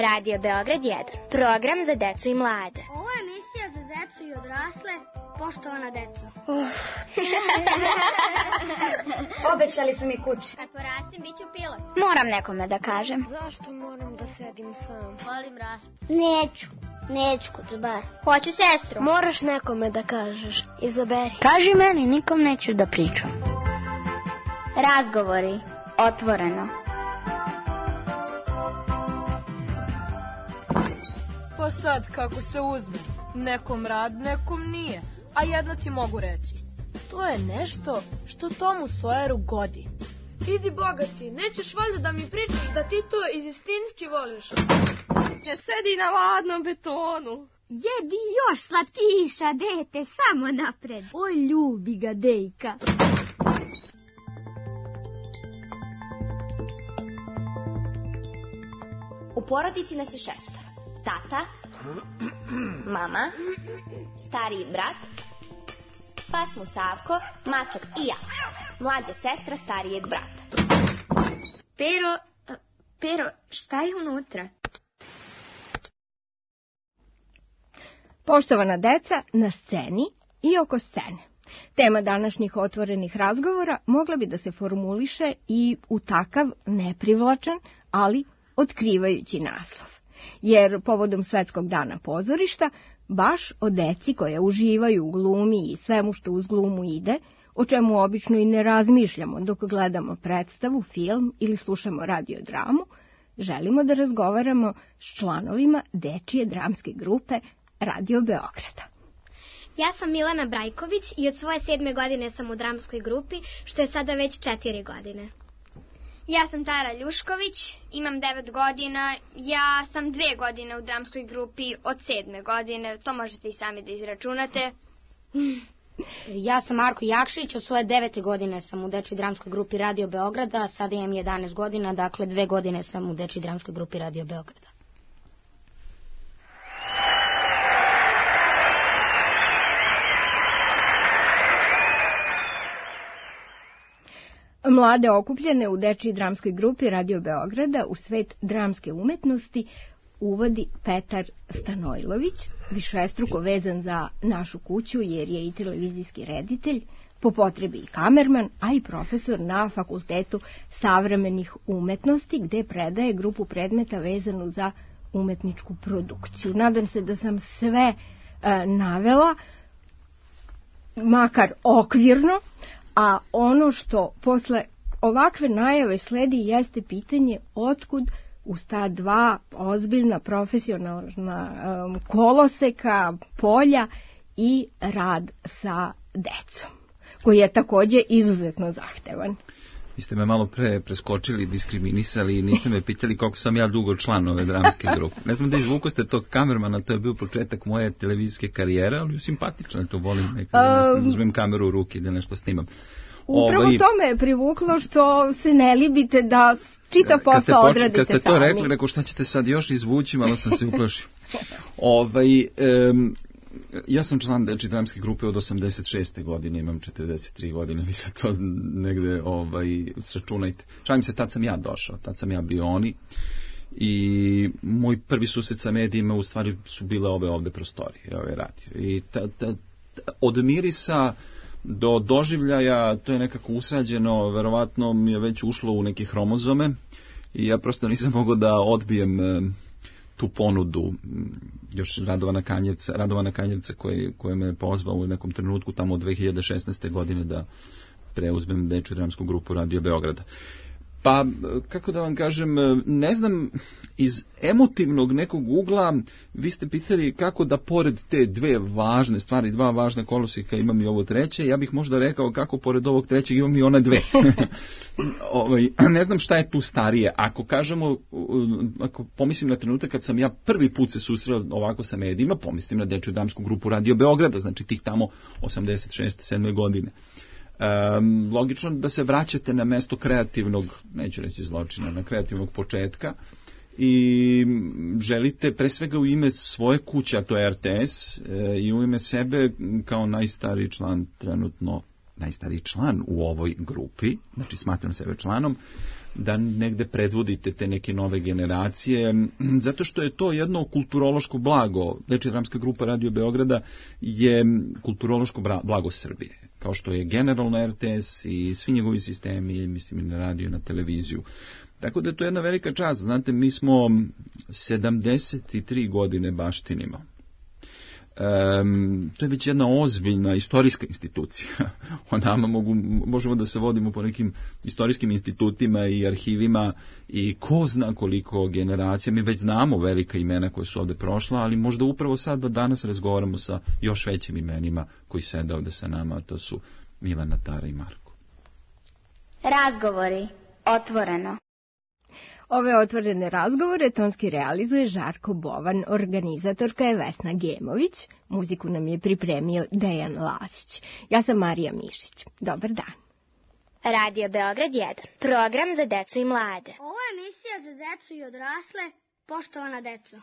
Radio Beograd 1. Program za decu i mlade. Ovo je emisija za decu i odrasle. Poštovana deco. Obećali su mi kuće. Kad porastim, bit ću pilot. Moram nekome da kažem. Zašto moram da sedim sam? Volim raspad. Neću kod bar. Hoću sestru. Moraš nekome da kažeš. Izaberi. Kaži meni, nikom neću da pričam. Razgovori. Otvoreno. Pa sad, kako se uzme. Nekom rad, nekom nije. A jedno ti mogu reći. To je nešto što Tomu Sawyeru godi. Idi bogati, nećeš valjda da mi pričaš da ti to istinski voliš. Ne sedi na ladnom betonu. Jedi još slatkiša, dete, samo napred. Oj, ljubi ga, dejka. U porodici nas je 6. Tata, mama, stariji brat, pa smo Savko, mačak i ja. Mlađa sestra starijeg brata. Pero, šta je unutra? Poštovana deca, na sceni i oko scene. Tema današnjih otvorenih razgovora mogla bi da se formuliše i u takav neprivlačan, ali otkrivajući naslov. Jer povodom Svetskog dana pozorišta, baš o deci koja uživaju u glumi i svemu što uz glumu ide, o čemu obično i ne razmišljamo dok gledamo predstavu, film ili slušamo radiodramu, želimo da razgovaramo s članovima dečije dramske grupe Radio Beograda. Ja sam Milana Brajković i od svoje 7. godine sam u dramskoj grupi, što je sada već 4 godine. Ja sam Tara Ljušković, imam 9 godina, ja sam 2 godine u dramskoj grupi od 7. godine, to možete i sami da izračunate. Ja sam Marko Jakšić, od svoje 9. godine sam u dečjoj dramskoj grupi Radio Beograda, sada imam 11 godina, dakle 2 godine sam u dečjoj dramskoj grupi Radio Beograda. Mlade okupljene u dečjoj dramskoj grupi Radio Beograda u svet dramske umetnosti uvodi Petar Stanojlović, višestruko vezan za našu kuću jer je i televizijski reditelj, po potrebi i kamerman, a i profesor na Fakultetu savremenih umetnosti gde predaje grupu predmeta vezanu za umetničku produkciju. Nadam se da sam sve navela, makar okvirno, a ono što posle ovakve najave sledi jeste pitanje otkud uz ta dva ozbiljna profesionalna koloseka, polja i rad sa decom, koji je takođe izuzetno zahtevan. Vi ste me malo pre preskočili, diskriminisali i niste me pitali koliko sam ja dugo član ove dramske grupe. Ne znam da izvuko ste tog kamermana, to je bio početak moje televizijske karijere, ali simpatično je to, volim nekada uzmem kameru u ruke i da nešto snimam. Upravo to me je privuklo što se ne libite da čitav posao odradite sami. Kad ste to rekli, rekao šta ćete sad još izvući, malo sam se uplašio. Ja sam član dečje dramske grupe od 86. godine, imam 43 godine, vi sad to negde sračunajte. Šalim se, tad sam ja došao, tad sam ja bio oni i moj prvi susret sa medijima u stvari su bile ove ovde prostorije, ove radio. I od mirisa do doživljaja to je nekako usađeno, verovatno mi je već ušlo u neke hromozome i ja prosto nisam mogao da odbijem tu ponudu još Radovana Kanjevca koji me pozvao u nekom trenutku tamo od 2016. godine da preuzmem dečju dramsku grupu Radio Beograda. Pa, kako da vam kažem, ne znam, iz emotivnog nekog ugla vi ste pitali kako da pored te dve važne stvari, dva važna koloseka imam i ovo treće, ja bih možda rekao kako pored ovog trećeg imam i one dve. Ne znam šta je tu starije. Ako kažemo, ako pomislim na trenutak kad sam ja prvi put se susreo ovako sa medijima, pomislim na dečju dramsku grupu Radio Beograda, znači tih tamo 86. 7. godine. Logično da se vraćate na mesto kreativnog, neću reći zločina, na kreativnog početka i želite pre svega u ime svoje kuće, a to je RTS, i u ime sebe kao najstariji član trenutno, najstariji član u ovoj grupi, znači smatram sebe članom, da negde predvodite te neke nove generacije, zato što je to jedno kulturološko blago. Dečija dramska grupa Radio Beograda je kulturološko blago Srbije, kao što je generalno RTS i svi njegovi sistemi, mislim i na radio i na televiziju. Tako da je to jedna velika čast. Znate, mi smo 73 godine baštinimo. To je već jedna ozbiljna istorijska institucija. O nama možemo da se vodimo po nekim istorijskim institutima i arhivima i ko zna koliko generacija. Mi već znamo velika imena koje su ovde prošla, ali možda upravo sad da danas razgovaramo sa još većim imenima koji sede ovde sa nama, a to su Milana, Tara i Marko. Razgovori. Otvoreno. Ove otvorene razgovore tonski realizuje Žarko Bovan, organizatorka je Vesna Gemović, muziku nam je pripremio Dejan Lasić. Ja sam Marija Mišić. Dobar dan. Radio Beograd 1. Program za decu i mlade. Ovo je emisija za decu i odrasle. Poštovana deco.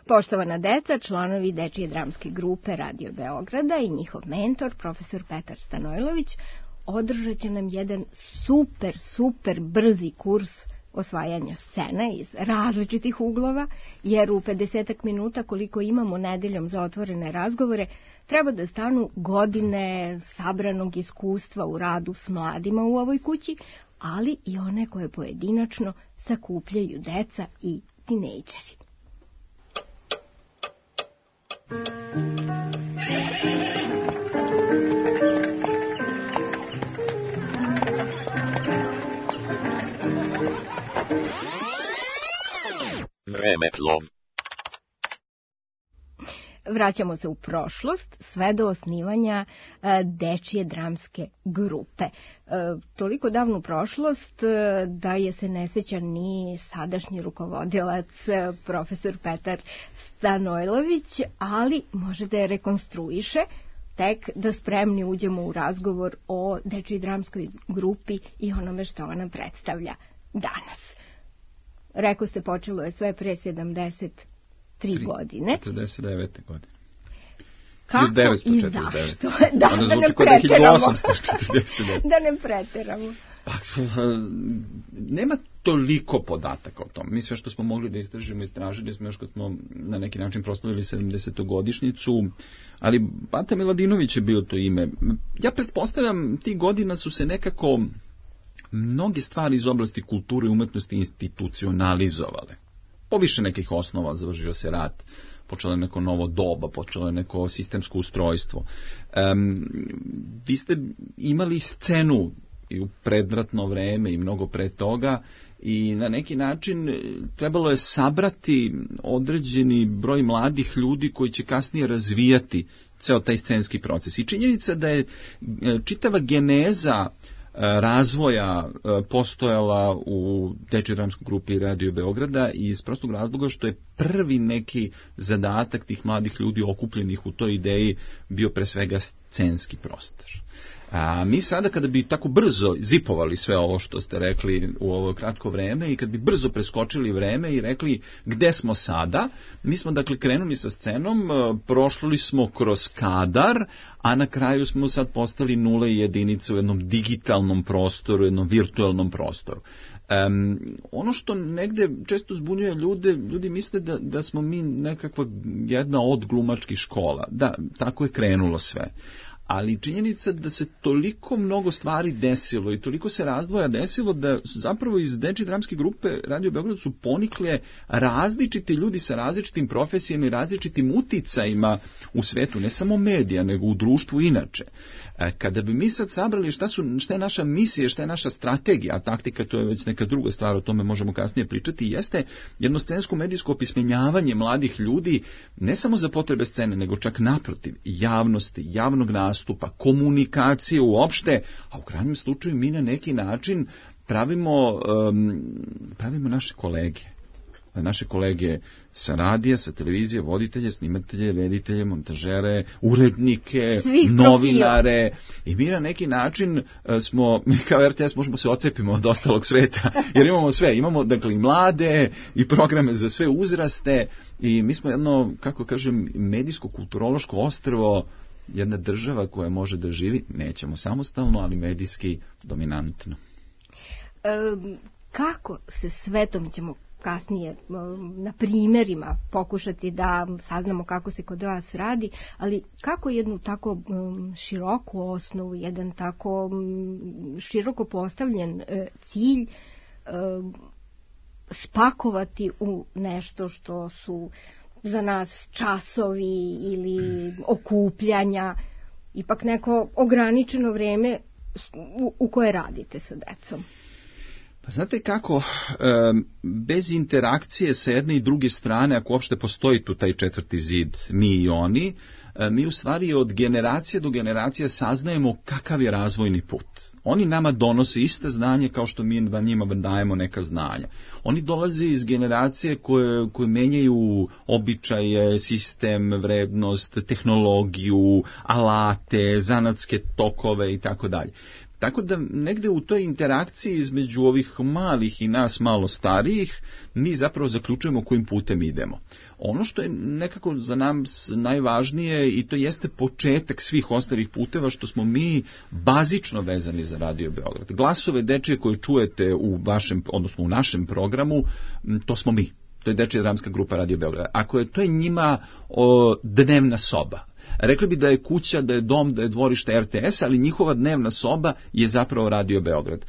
Poštovana deca, članovi Dečije dramske grupe Radio Beograda i njihov mentor, profesor Petar Stanojlović, održat će nam jedan super brzi kurs osvajanja scena iz različitih uglova, jer u 50 minuta koliko imamo nedeljom za otvorene razgovore, treba da stanu godine sabranog iskustva u radu s mladima u ovoj kući, ali i one koje pojedinačno sakupljaju deca i tinejdžeri. Vremeplov. Vraćamo se u prošlost, sve do osnivanja Dečije dramske grupe. Toliko davnu prošlost da je se ne sjeća ni sadašnji rukovodilac, profesor Petar Stanojlović, ali može da je rekonstruiše tek da spremni uđemo u razgovor o Dečijoj dramskoj grupi i onome što ona predstavlja danas. Rekao ste, počelo je sve pre 73 godine. 49. godine. Kako i zašto? Da ne preteramo. Pa, nema toliko podataka o tom. Mi sve što smo mogli da istražili smo još kad smo na neki način proslavili 70-godišnjicu, ali Bata Miladinović je bio to ime. Ja pretpostavljam, tih godina su se nekako mnoge stvari iz oblasti kulture i umetnosti institucionalizovale. Poviše nekih osnova, završio se rat, počelo je neko novo doba, počelo je neko sistemsko ustrojstvo. Vi ste imali scenu i u predratno vreme i mnogo pre toga i na neki način trebalo je sabrati određeni broj mladih ljudi koji će kasnije razvijati ceo taj scenski proces. I činjenica da je čitava geneza razvoja postojala u Dečijoj dramskoj grupi Radio Beograda iz prostog razloga što je prvi neki zadatak tih mladih ljudi okupljenih u toj ideji bio pre svega scenski prostor. A mi sada kada bi tako brzo zipovali sve ovo što ste rekli u ovo kratko vreme i kad bi brzo preskočili vreme i rekli gde smo sada, mi smo dakle krenuli sa scenom, prošli smo kroz kadar, a na kraju smo sad postali nule i jedinice u jednom digitalnom prostoru, jednom virtualnom prostoru. Ono što negde često zbunjuje ljude, ljudi misle da smo mi nekakva jedna od glumačkih škola. Da, tako je krenulo sve. Ali činjenica da se toliko mnogo stvari desilo i toliko se razdvoja desilo da zapravo iz Dečije dramske grupe Radio Beograd su ponikle različiti ljudi sa različitim profesijama i različitim uticajima u svetu, ne samo medija, nego u društvu inače. Kada bi mi sad sabrali šta je naša misija, šta je naša strategija, a taktika to je već neka druga stvar, o tome možemo kasnije pričati, jeste jedno scensko medijsko opismenjavanje mladih ljudi, ne samo za potrebe scene, nego čak naprotiv, javnosti, javnog nastupa, komunikacije uopšte, a u krajnjem slučaju mi na neki način pravimo naše kolege. Naše kolege sa radija, sa televizije, voditelje, snimatelje, reditelje, montažere, urednike, novinare. I mi na neki način smo, mi kao RTS možemo se ocepimo od ostalog sveta, jer imamo sve. Imamo dakle i mlade, i programe za sve uzraste, i mi smo jedno, kako kažem, medijsko-kulturološko ostrvo jedna država koja može da živi, nećemo samostalno, ali medijski dominantno. Kako se svetom ćemo kasnije na primjerima pokušati da saznamo kako se kod vas radi, ali kako jednu tako široku osnovu, jedan tako široko postavljen cilj spakovati u nešto što su za nas časovi ili okupljanja, ipak neko ograničeno vreme u koje radite sa decom? Pa znate kako, bez interakcije sa jedne i druge strane, ako uopšte postoji tu taj četvrti zid, mi i oni, mi u stvari od generacije do generacije saznajemo kakav je razvojni put. Oni nama donose iste znanje kao što mi njima dajemo neka znanja. Oni dolaze iz generacije koje menjaju običaje, sistem, vrednost, tehnologiju, alate, zanatske tokove i tako dalje. Tako da negde u toj interakciji između ovih malih i nas malo starijih, mi zapravo zaključujemo kojim putem idemo. Ono što je nekako za nas najvažnije, i to jeste početak svih ostalih puteva, što smo mi bazično vezani za Radio Beograd. Glasove dečije koje čujete u vašem, odnosno u našem programu, to smo mi. To je Dečija dramska grupa Radio Beograd. Ako je to je njima dnevna soba. Rekli bi da je kuća, da je dom, da je dvorište RTS, ali njihova dnevna soba je zapravo Radio Beograd.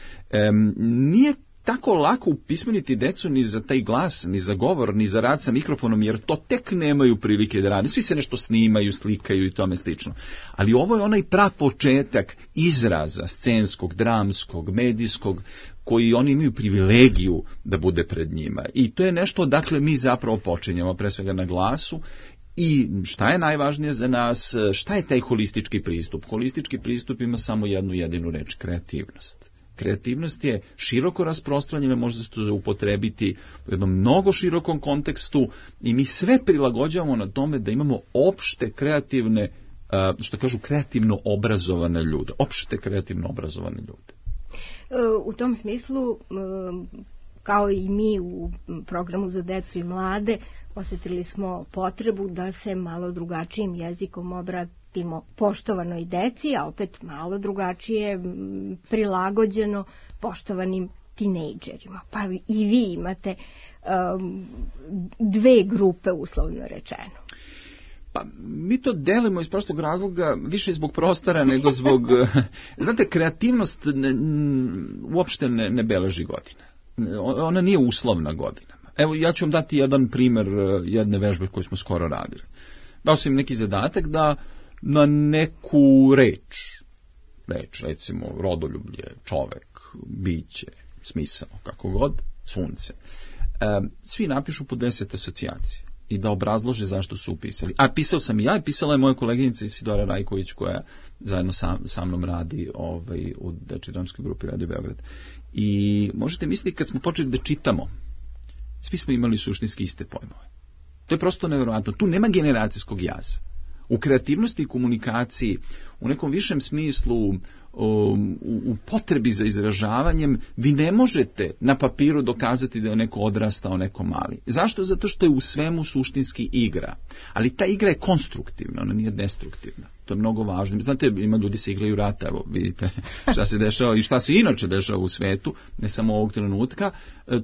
Nije tako lako upismeniti decu ni za taj glas, ni za govor, ni za rad sa mikrofonom, jer to tek nemaju prilike da rade. Svi se nešto snimaju, slikaju i tome slično. Ali ovo je onaj prapočetak izraza scenskog, dramskog, medijskog, koji oni imaju privilegiju da bude pred njima. I to je nešto odakle mi zapravo počinjemo, pre svega na glasu. I šta je najvažnije za nas, šta je taj holistički pristup? Holistički pristup ima samo jednu jedinu reč, kreativnost. Kreativnost je široko rasprostranjena, može se to upotrebiti u jednom mnogo širokom kontekstu i mi sve prilagođavamo na tome da imamo opšte kreativne, što kažu kreativno obrazovane ljude. Opšte kreativno obrazovane ljude. U tom smislu, kao i mi u programu za decu i mlade, osjetili smo potrebu da se malo drugačijim jezikom obratimo poštovanoj deci, a opet malo drugačije prilagođeno poštovanim tinejdžerima. Pa i vi imate dve grupe, uslovno rečeno. Pa mi to delimo iz prostog razloga, više zbog prostora nego zbog... Znate, kreativnost uopšte ne beleži godine. Ona nije uslovna godina. Evo, ja ću vam dati jedan primjer jedne vežbe koju smo skoro radili. Dao sam im neki zadatak da na neku reč, recimo rodoljublje, čovek, biće, smisao, kako god, sunce, svi napišu po 10 asocijacija i da obrazlože zašto su upisali. A pisao sam i ja, i pisala je moja koleginica Isidora Rajković, koja zajedno sa mnom radi u Dečijoj dramskoj grupi Radio Beograd. I možete misliti, kad smo počeli da čitamo, svi smo imali suštinski iste pojmove. To je prosto nevjerojatno. Tu nema generacijskog jaza. U kreativnosti i komunikaciji, u nekom višem smislu, u potrebi za izražavanjem, vi ne možete na papiru dokazati da je neko odrastao, neko mali. Zašto? Zato što je u svemu suštinski igra. Ali ta igra je konstruktivna, ona nije destruktivna. To je mnogo važno. Znate, ima ljudi se igraju rata, evo vidite šta se dešava i šta se inače dešava u svetu, ne samo ovog trenutka.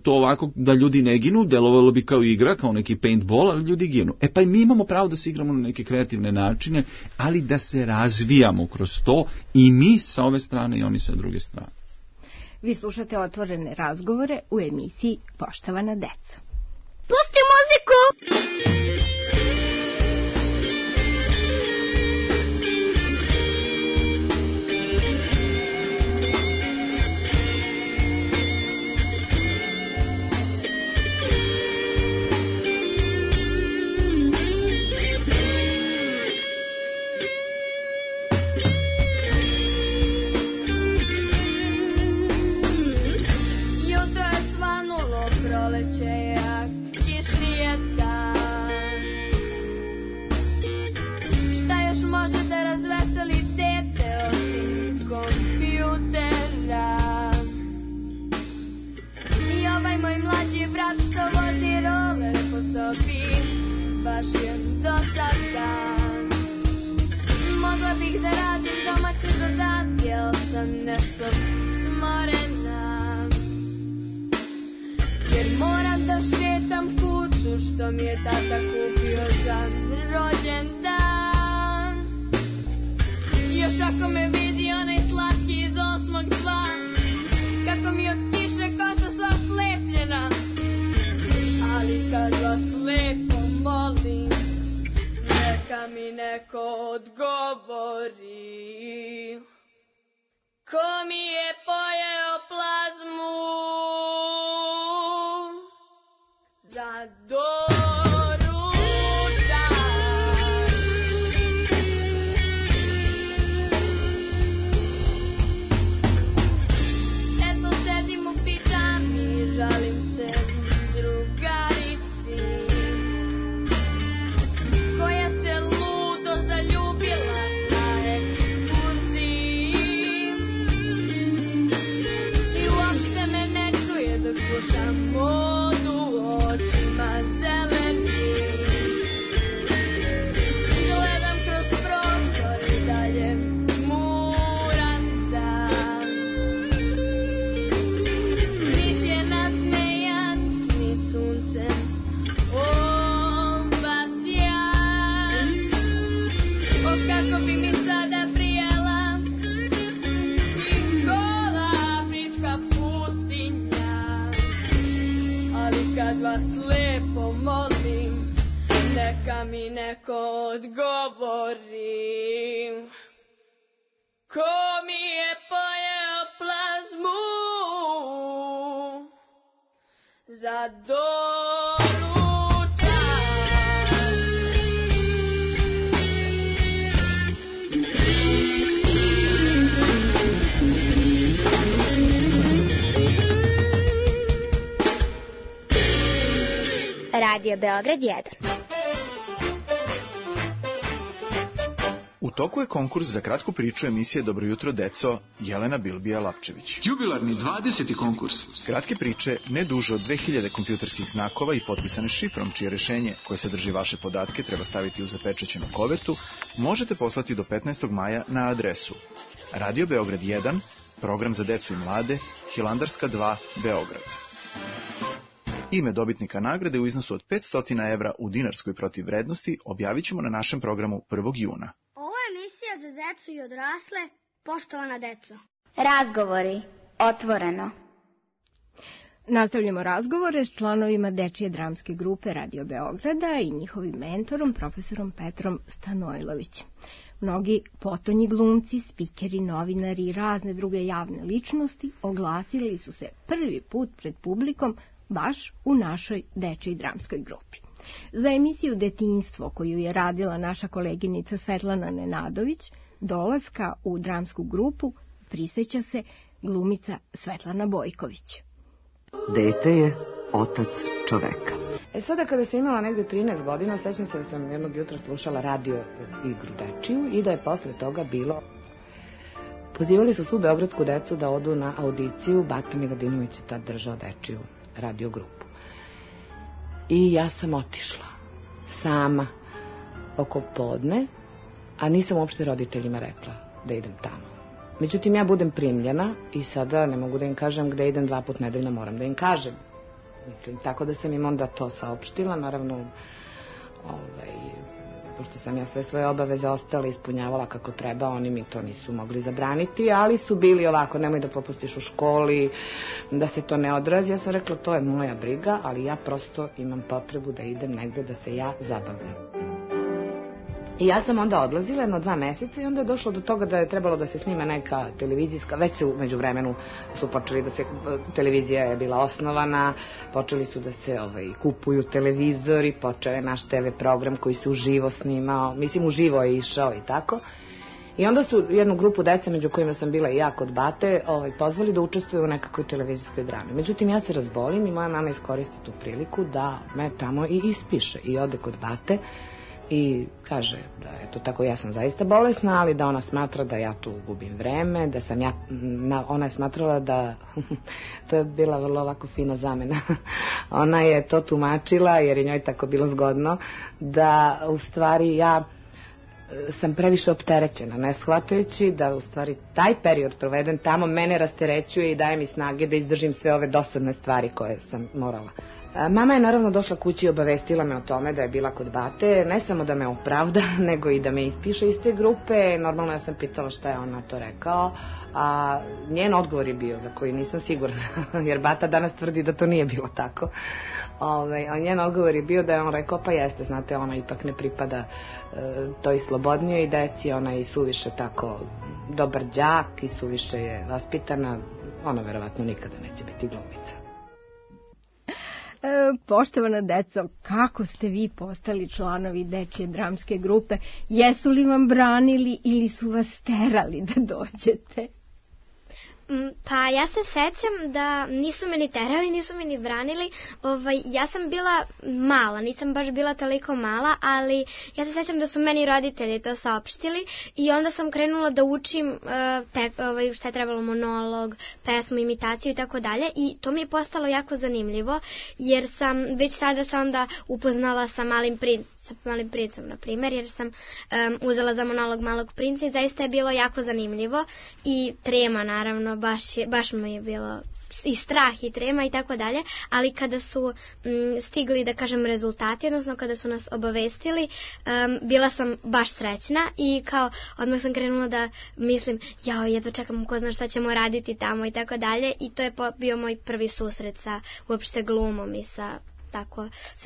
To ovako da ljudi ne ginu, delovalo bi kao igra, kao neki paintball, ali ljudi ginu. E pa i mi imamo pravo da se igramo na neke kreativne načine, ali da se razvijamo kroz to, i mi sa ove strane i oni sa druge strane. Vi slušate Otvorene razgovore u emisiji Poštovana deco. Pusti muziku! Jutro je svanulo, proleće je, a kišni je dan. je tata kupio za rođendan. Još ako me vidi onaj slatki iz 8.2, kako mi od kiše kosa sva slepljena. Ali kad vas lepo molim, neka mi neko odgovori. Ko mi je pojeo plazmu za doručak? Eto sedim u pidžami, žalim se drugarici koja se ludo zaljubila na ekskurziji i uopšte me ne čuje dok slušam modu očima zelenim. Gledam kroz prozor i dalje muram dan. Nit je nasmejan, ni suncem obasjan. O kako bi mi sada prijela i gola afrička pustinja. Ali kad vas lepo molim, neka mi neko odgovori. Ko mi je pojeo plazmu za doručak? Radio Beograd 1. U toku je konkurs za kratku priču emisije Dobro jutro deco Jelena Bilbija-Lapčević. Jubilarni 20. konkurs. Kratke priče ne duže od 2000 kompjuterskih znakova i potpisane šifrom, čije rešenje koje sadrži vaše podatke treba staviti u zapečaćenu kovertu, možete poslati do 15. maja na adresu Radio Beograd 1, program za decu i mlade, Hilandarska 2, Beograd. Ime dobitnika nagrade u iznosu od 500 evra u dinarskoj protivvrednosti objavit ćemo na našem programu 1. juna. Ovo je emisija za decu i odrasle, poštovana deco. Razgovori. Otvoreno. Nastavljamo razgovore s članovima Dečije dramske grupe Radio Beograda i njihovim mentorom, profesorom Petrom Stanojlovićem. Mnogi potonji glumci, spikeri, novinari i razne druge javne ličnosti oglasili su se prvi put pred publikom baš u našoj Dečijoj dramskoj grupi. Za emisiju Detinjstvo, koju je radila naša koleginica Svetlana Nenadović, dolaska u dramsku grupu priseća se glumica Svetlana Bojković. Dete je otac čoveka. Sada kada sam imala negde 13 godina, sećam se da sam jednog jutra slušala radio igru dečiju i da je posle toga bilo... Pozivali su svu beogradsku decu da odu na audiciju, Bata Miladinović je tad držao dečiju radio grupu. I ja sam otišla sama oko podne, a nisam uopšte roditeljima rekla da idem tamo. Međutim, ja budem primljena i sada ne mogu da im kažem gde idem 2 puta nedeljno, moram da im kažem. Mislim, tako da sam im onda to saopštila, naravno, pošto sam ja sve svoje obaveze ostala ispunjavala kako treba, oni mi to nisu mogli zabraniti, ali su bili ovako, nemoj da popustiš u školi, da se to ne odrazi. Ja sam rekla, to je moja briga, ali ja prosto imam potrebu da idem negde da se ja zabavljam. I ja sam onda odlazila jedno 2 meseca i onda je došlo do toga da je trebalo da se snima neka televizijska, već se umeđu vremenu su počeli da se, televizija je bila osnovana, počeli su da se kupuju televizori, počeo je naš TV program koji se uživo snimao, mislim uživo je išao i tako. I onda su jednu grupu dece, među kojima sam bila i ja kod Bate, pozvali da učestvuju u nekakvoj televizijskoj drami. Međutim, ja se razbolim i moja mama iskoristi tu priliku da me tamo i ispiše i ode kod Bate. I kaže da eto tako ja sam zaista bolesna, ali da ona smatra da ja tu gubim vreme, da sam ja, ona je smatrala da, to je bila vrlo ovako fina zamena, ona je to tumačila jer je njoj tako bilo zgodno, da u stvari ja sam previše opterećena, ne shvatajući da u stvari taj period proveden tamo mene rasterećuje i daje mi snage da izdržim sve ove dosadne stvari koje sam morala Mama je naravno došla kući i obavestila me o tome da je bila kod bate, ne samo da me opravda, nego i da me ispiše iz te grupe. Normalno ja sam pitala šta je on na to rekao, a njen odgovor je bio, za koji nisam sigurna, jer bata danas tvrdi da to nije bilo tako. A njen odgovor je bio da je on rekao, pa jeste, znate, ona ipak ne pripada toj slobodnijoj deci, ona je i suviše tako dobar đak i suviše je vaspitana, ona verovatno nikada neće biti glumica. Poštovana deco, kako ste vi postali članovi dečje dramske grupe? Jesu li vam branili ili su vas terali da dođete? Pa ja se sećam da nisu me ni terali, nisu me ni branili. Ja sam bila mala, nisam baš bila toliko mala, ali ja se sećam da su meni roditelji to saopštili i onda sam krenula da učim šta je trebalo, monolog, pesmu, imitaciju i tako dalje, i to mi je postalo jako zanimljivo, jer sam već tada se onda upoznala sa Malim princem, na primjer, jer sam uzela za monolog Malog princa i zaista je bilo jako zanimljivo i trema, naravno, baš mi je bilo i strah i trema i tako dalje, ali kada su stigli, da kažem, rezultati, odnosno kada su nas obavestili, bila sam baš srećna i kao odmah sam krenula da mislim, jedva čekam, ko zna šta ćemo raditi tamo i tako dalje, i to je bio moj prvi susret sa uopšte glumom i sa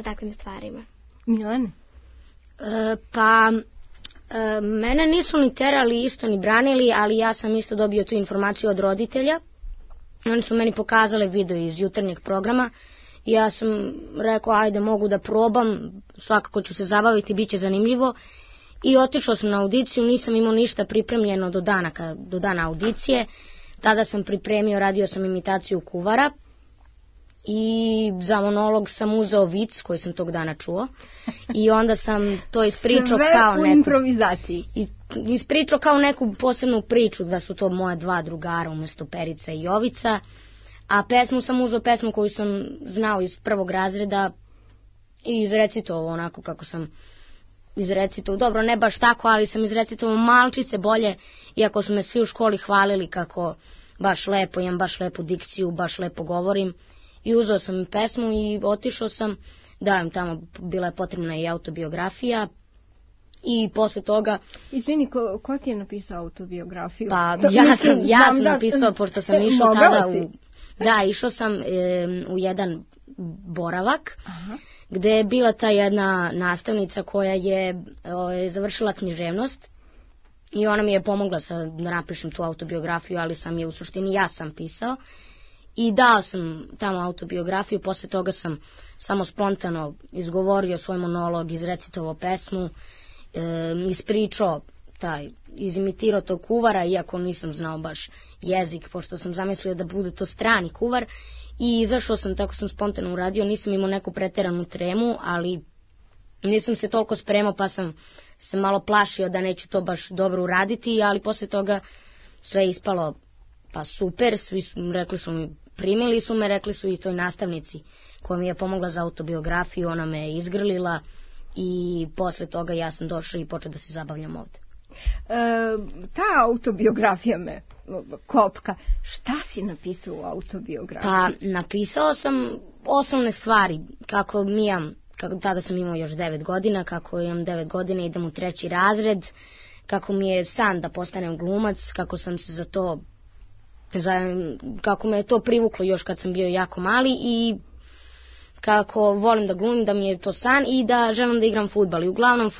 takvim stvarima. Milane? Mene nisu ni terali isto ni branili, ali ja sam isto dobio tu informaciju od roditelja. Oni su meni pokazali video iz jutarnjeg programa i ja sam rekao, ajde, mogu da probam, svakako ću se zabaviti, bit će zanimljivo. I otišao sam na audiciju, nisam imao ništa pripremljeno do dana audicije. Tada sam pripremio, radio sam imitaciju kuvara i za monolog sam uzeo vic koji sam tog dana čuo i onda sam to ispričao kao neku improvizaciji. Ispričao kao neku posebnu priču, da su to moja dva drugara umjesto Perica i Jovica, a pesmu sam uzeo pesmu koju sam znao iz prvog razreda i izrecitovao onako kako sam izrecitovao, dobro, ne baš tako, ali sam izrecitovao malčice bolje, iako su me svi u školi hvalili kako baš lepo, imam baš lepu dikciju, baš lepo govorim. I uzeo sam pesmu i otišao sam, tamo bila je potrebna i autobiografija i posle toga... Izvini, ko ti je napisao autobiografiju? Pa ja sam napisao, pošto sam išao tada išao sam u jedan boravak, gde je bila ta jedna nastavnica koja je završila književnost i ona mi je pomogla da napišem tu autobiografiju, ali sam je u suštini ja sam pisao. I dao sam tamo autobiografiju, posle toga sam samo spontano izgovorio svoj monolog, izrecitovao pesmu, ispričao izimitirao tog kuvara, iako nisam znao baš jezik, pošto sam zamislio da bude to strani kuvar, i izašao sam, tako sam spontano uradio, nisam imao neku preteranu tremu, ali nisam se toliko spremao, pa sam se malo plašio da neću to baš dobro uraditi, ali posle toga sve je ispalo pa super, svi rekli su mi, primili su me, rekli su i toj nastavnici koja mi je pomogla za autobiografiju, ona me je izgrlila i posle toga ja sam došla i počela da se zabavljam ovde. Ta autobiografija me kopka. Šta si napisao u autobiografiji? Pa napisao sam osnovne stvari, kako tada sam imao još 9 godina, kako imam 9 godina, idem u 3. razred, kako mi je san da postanem glumac, kako sam se za to, kako me je to privuklo još kad sam bio jako mali i kako volim da glumim, da mi je to san i da želim da igram fudbal. I uglavnom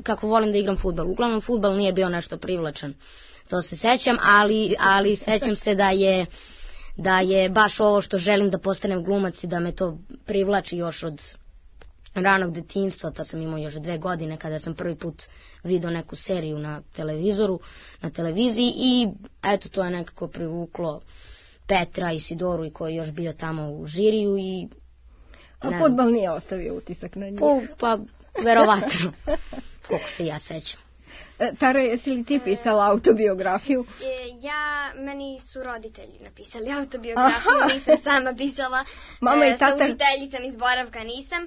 kako volim da igram fudbal. Uglavnom fudbal nije bio nešto privlačan. To se sećam, ali sećam se da je baš ovo što želim da postanem glumac i da me to privlači još od ranog detinjstva. To sam imao još 2 godine kada sam prvi put vidio neku seriju na televiziji i eto, to je nekako privuklo Petra i Sidoru i koji je još bio tamo u žiriju i a fudbal nije ostavio utisak na njih? Pa, verovatno, koliko se ja sećam. Tara, jesi li ti pisala autobiografiju? Meni su roditelji napisali autobiografiju, nisam sama pisala, Mama i tata... sa učiteljicom iz boravka nisam,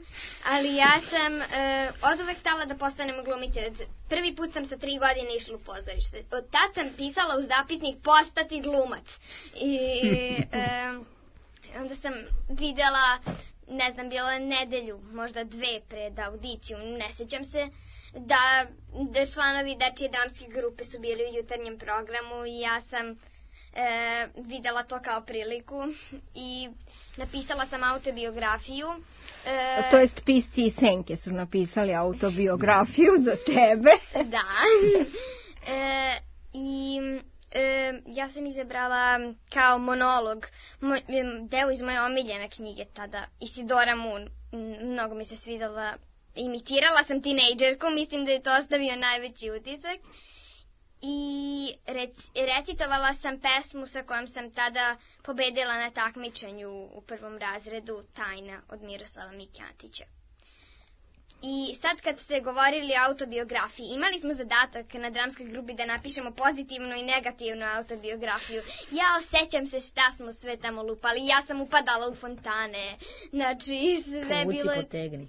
ali ja sam oduvek htela da postanem glumica. Prvi put sam sa 3 godine išla u pozorište. Od tad sam pisala u zapisnik postati glumac. I onda sam videla ne znam, bilo je nedelju, možda 2 pred audiciju, ne sjećam se, da članovi dečije dramske grupe su bili u jutarnjem programu i ja sam videla to kao priliku i napisala sam autobiografiju. To jest pisci i senke su napisali autobiografiju za tebe. Da. I ja sam izabrala kao monolog deo iz moje omiljene knjige tada, Isidora Moon. Mnogo mi se svidala. Imitirala sam tinejdžerku, mislim da je to ostavio najveći utisak. I recitovala sam pesmu sa kojom sam tada pobedila na takmičenju u 1. razredu, Tajna od Miroslava Mikjatića. I sad kad ste govorili o autobiografiji, imali smo zadatak na dramskoj grupi da napišemo pozitivnu i negativnu autobiografiju. Ja osjećam se šta smo sve tamo lupali, ja sam upadala u fontane, znači sve bilo... Potegni.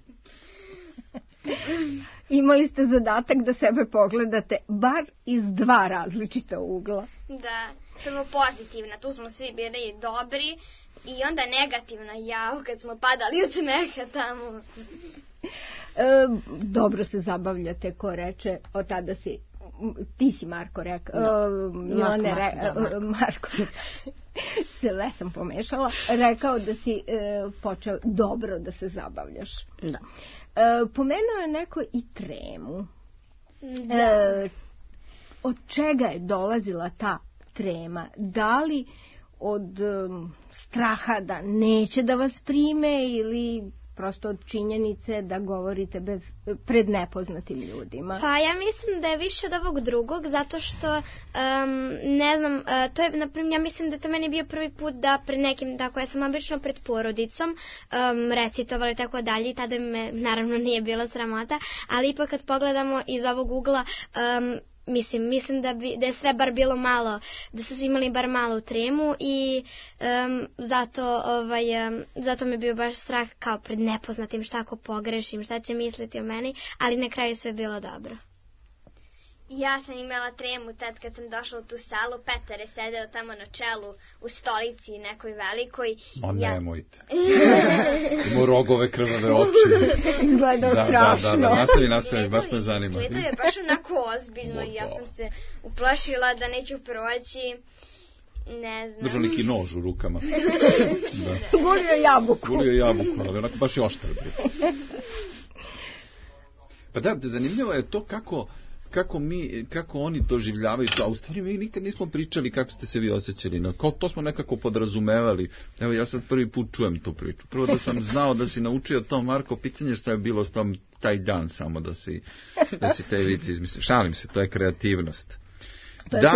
Imali ste zadatak da sebe pogledate bar iz 2 različita ugla. Da, prvo pozitivna, tu smo svi bili dobri i onda negativna, kad smo padali od smeha tamo. Dobro se zabavljate, ko reče, od tada si, ti si Marko rekao, Marko, sve sam pomešala, rekao da si počeo dobro da se zabavljaš. Da. Pomenuo je neko i tremu. Da. Od čega je dolazila ta trema? Da li od straha da neće da vas prime ili prosto od činjenice da govorite pred nepoznatim ljudima? Pa ja mislim da je više od ovog drugog, zato što, ne znam, to je, naprimjer, ja mislim da to meni bio prvi put da pred nekim, tako ja sam obično pred porodicom recitovala i tako dalje i tada me naravno nije bilo sramota, ali ipak kad pogledamo iz ovog ugla, mislim da je sve bar bilo malo, da su svi imali bar malo tremu i zato me bio baš strah kao pred nepoznatim, šta ako pogrešim, šta će misliti o meni, ali na kraju sve bilo dobro. Ja sam imala tremu tad kad sam došla u tu salu, Petar je sedeo tamo na čelu u stolici nekoj velikoj. Nemojte. Ima rogove, krvave oči. Izgleda strašno. Da, nastavi, baš me zanima. Izgleda je baš onako ozbiljno i ja sam se uplašila da neću proći. Ne znam. Držao neki nož u rukama. Gulio jabuku, ali onako baš je oštar. Pa da, zanimljivo je to kako oni doživljavaju to, a u stvari mi nikad nismo pričali kako ste se vi osjećali, to smo nekako podrazumevali. Evo ja sad prvi put čujem tu priču. Prvo da sam znao da si naučio to, Marko, pitanje šta je bilo taj dan samo da si te vici izmislio. Šalim se, to je kreativnost. Da,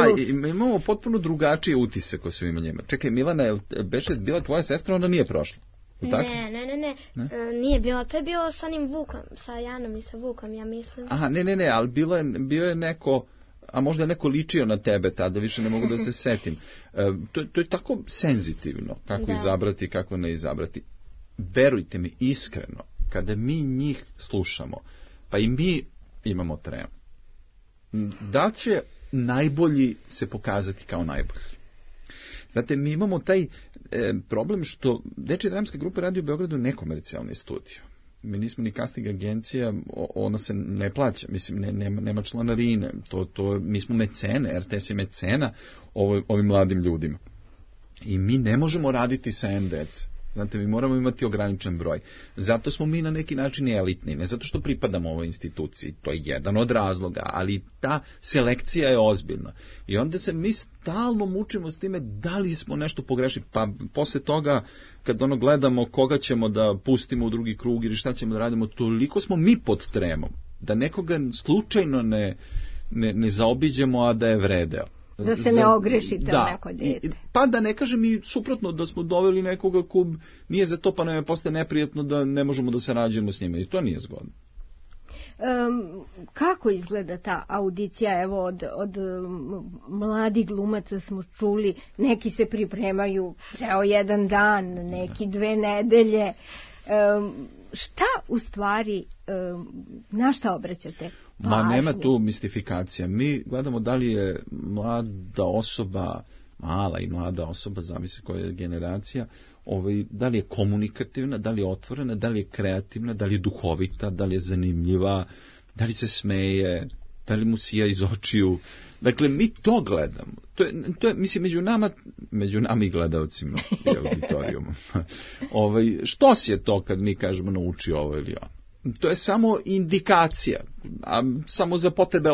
imamo potpuno drugačije utisak o svima njima. Čekaj, Milana, je bila tvoja sestra, onda nije prošla? Ne, nije bilo, to je bilo sa onim Vukom, sa Janom i sa Vukom, ja mislim. Aha, ne, ali bio je neko, a možda je neko ličio na tebe tada, više ne mogu da se setim. To je tako senzitivno, kako izabrati, kako ne izabrati. Verujte mi, iskreno, kada mi njih slušamo, pa i mi imamo tremu, da će najbolji se pokazati kao najbolji. Znate, mi imamo taj problem što Dečija dramska grupa radi u Beogradu nekomercijalni studio. Mi nismo ni casting agencija, ona se ne plaća, mislim, nema članarine, mi smo mecene, RTS je mecena ovim mladim ljudima. I mi ne možemo raditi sa NDC. Znate, mi moramo imati ograničen broj. Zato smo mi na neki način elitni, ne zato što pripadamo ovoj instituciji, to je jedan od razloga, ali ta selekcija je ozbiljna. I onda se mi stalno mučimo s time da li smo nešto pogrešili, pa posle toga kad gledamo koga ćemo da pustimo u drugi krug ili šta ćemo da radimo, toliko smo mi pod tremom, da nekoga slučajno ne zaobiđemo, a da je vredeo. Da se ne ogrešite o neko dete. Pa da ne kažem i suprotno, da smo doveli nekoga ko nije za to, pa nam je postaje neprijatno da ne možemo da sarađujemo s njima i to nije zgodno. Kako izgleda ta audicija? Evo od mladih glumaca smo čuli, neki se pripremaju ceo jedan dan, neki 2 nedelje. Šta u stvari, na šta obraćate pažnju? Ma nema tu mistifikacija. Mi gledamo da li je mlada osoba mala i mlada osoba, zavisi koja je generacija, da li je komunikativna, da li je otvorena, da li je kreativna, da li je duhovita, da li je zanimljiva, da li se smeje, da li mu sija iz očiju. Dakle, mi to gledamo. To je mislim, među nama i gledalcima i auditorijumom. Što si je to kad mi kažemo nauči ovo ili ono? To je samo indikacija, samo za potrebe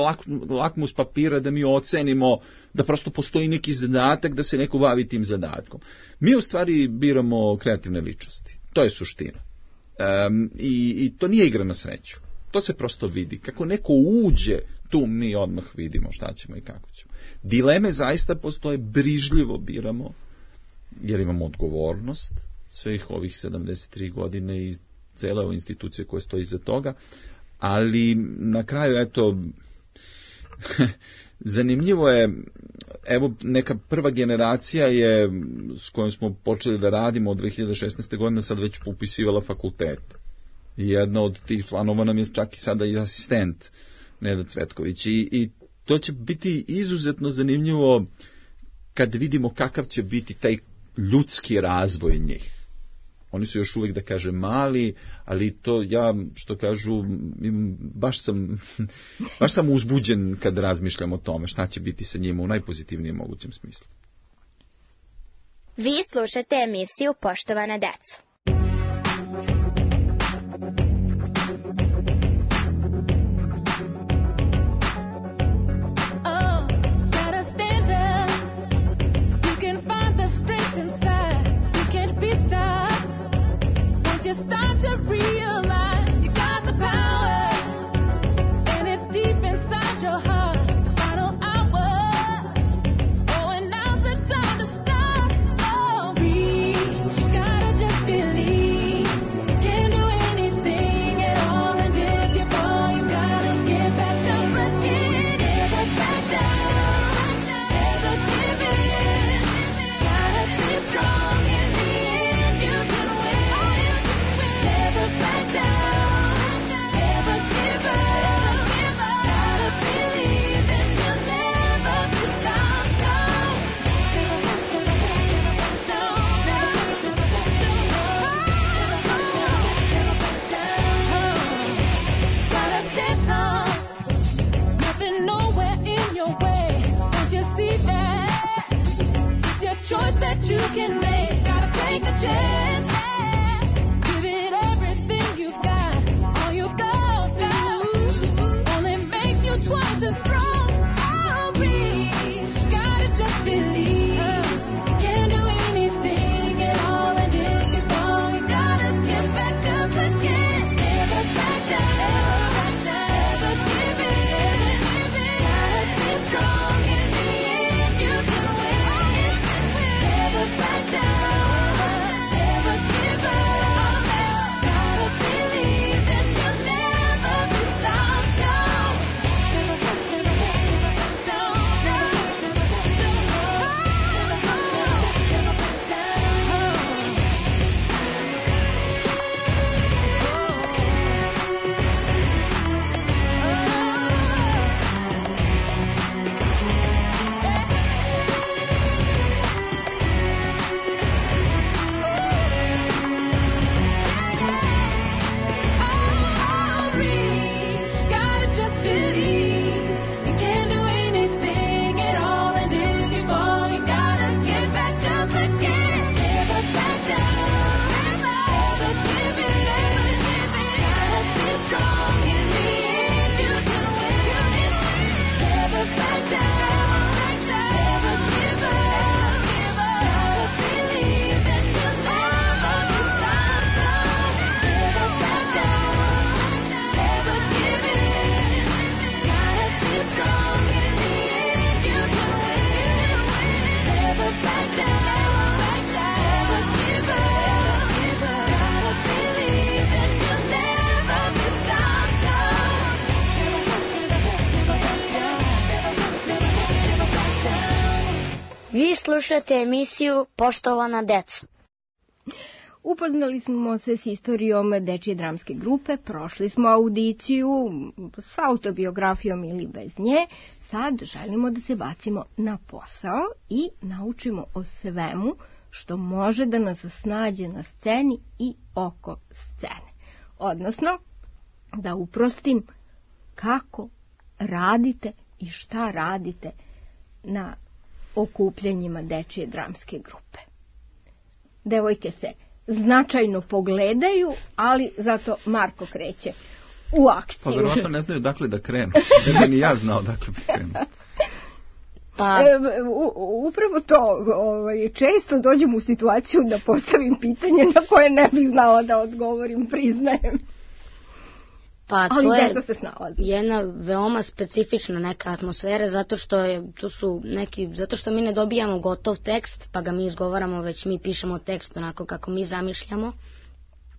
lakmus papira da mi ocenimo da prosto postoji neki zadatak, da se neko bavi tim zadatkom. Mi u stvari biramo kreativne ličnosti. To je suština. I to nije igra na sreću. To se prosto vidi. Kako neko uđe, tu mi odmah vidimo šta ćemo i kako ćemo. Dileme zaista postoje, brižljivo biramo, jer imamo odgovornost svih ovih 73 godine i cele ove institucije koje stoji iza toga, ali na kraju, eto, zanimljivo je, evo neka prva generacija je, s kojom smo počeli da radimo od 2016. godine, sad već upisivala fakultet. I jedna od tih članova nam je čak i sada i asistent, Neda Cvetković. I to će biti izuzetno zanimljivo kad vidimo kakav će biti taj ljudski razvoj njih. Oni su još uvijek, da kažem, mali, ali to ja, što kažu, baš sam uzbuđen kad razmišljam o tome šta će biti sa njima u najpozitivnijem mogućem smislu. Vi slušate emisiju Poštovana deco. Vi slušate emisiju Poštovana deco. Upoznali smo se s istorijom dečije dramske grupe, prošli smo audiciju s autobiografijom ili bez nje. Sad želimo da se bacimo na posao i naučimo o svemu što može da nas snađe na sceni i oko scene. Odnosno, da uprostim, kako radite i šta radite na okupljanjima dečije dramske grupe. Devojke se značajno pogledaju, ali zato Marko kreće u akciju. Pa verovatno ne znaju dakle da krenu. Ne bi ni ja znao dakle bi krenu. Pa... upravo to, često dođem u situaciju da postavim pitanje na koje ne bih znala da odgovorim, priznajem. Pa to je jedna veoma specifična neka atmosfera, zato što mi ne dobijamo gotov tekst, pa ga mi izgovaramo, već mi pišemo tekst onako kako mi zamišljamo.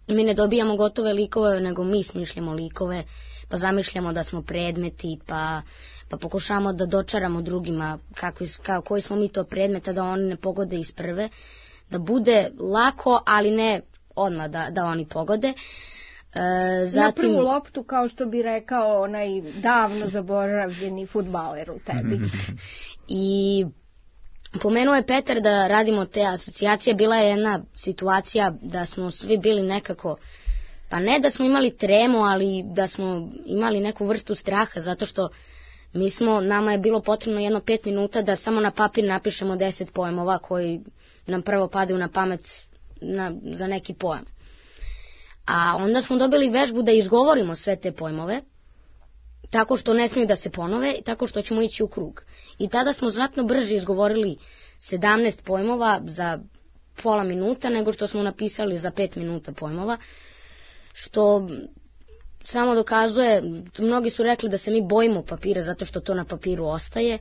Mi ne dobijamo gotove likove, nego mi smišljamo likove, pa zamišljamo da smo predmeti, pa pokušamo da dočaramo drugima koji smo mi to predmeta, da oni ne pogode iz prve, da bude lako, ali ne odmah da oni pogode. Na prvu loptu, kao što bi rekao onaj davno zaboravljeni fudbaler u tebi. I pomenuo je Petar da radimo te asocijacije. Bila je jedna situacija da smo svi bili nekako, pa ne da smo imali tremu, ali da smo imali neku vrstu straha, zato što nama je bilo potrebno 5 minuta da samo na papir napišemo 10 pojmova koji nam prvo padaju na pamet za neki pojam. A onda smo dobili vežbu da izgovorimo sve te pojmove, tako što ne smiju da se ponove, tako što ćemo ići u krug. I tada smo znatno brže izgovorili 17 pojmova za pola minuta, nego što smo napisali za 5 minuta pojmova, što samo dokazuje, mnogi su rekli da se mi bojimo papira zato što to na papiru ostaje,